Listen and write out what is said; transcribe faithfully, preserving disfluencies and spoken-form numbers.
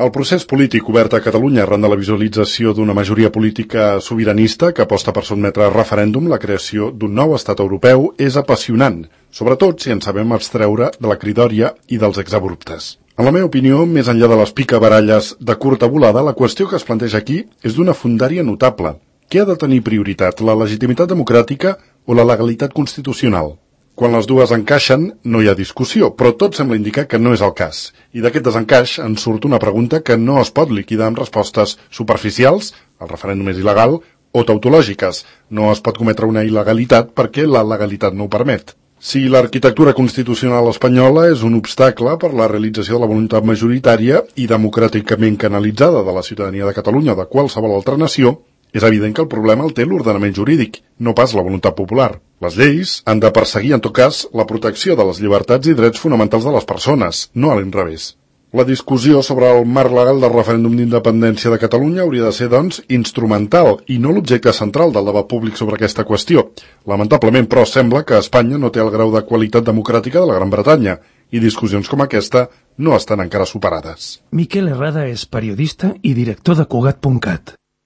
El procés polític obert a Catalunya arran de la visualització d'una majoria política sobiranista que aposta per sotmetre a referèndum la creació d'un nou estat europeu és apassionant, sobretot si en sabem abstreure de la cridòria i dels exabruptes. En la meva opinió, més enllà de les picabaralles de curta volada, la qüestió que es planteja aquí és d'una fundària notable. Què ha de tenir prioritat, la legitimitat democràtica o la legalitat constitucional? Quan les dues encaixen, no hi ha discussió, però tot sembla indicar que no és el cas. I d'aquest desencaix en surt una pregunta que no es pot liquidar amb respostes superficials, el referèndum és il·legal, o tautològiques. No es pot cometre una il·legalitat perquè la legalitat no ho permet. Si l'arquitectura constitucional espanyola és un obstacle per la realització de la voluntat majoritària i democràticament canalitzada de la ciutadania de Catalunya o de qualsevol altra nació, és evident que el problema el té l'ordenament jurídic, no pas la voluntat popular. Les lleis han de perseguir, en tot cas, la protecció de les llibertats i drets fonamentals de les persones, no a l'inrevés. La discussió sobre el marc legal del referèndum d'independència de Catalunya hauria de ser, doncs, instrumental i no l'objecte central del debat públic sobre aquesta qüestió. Lamentablement, però, sembla que Espanya no té el grau de qualitat democràtica de la Gran Bretanya i discussions com aquesta no estan encara superades. Miquel Herrada és periodista i director de Cugat punt cat.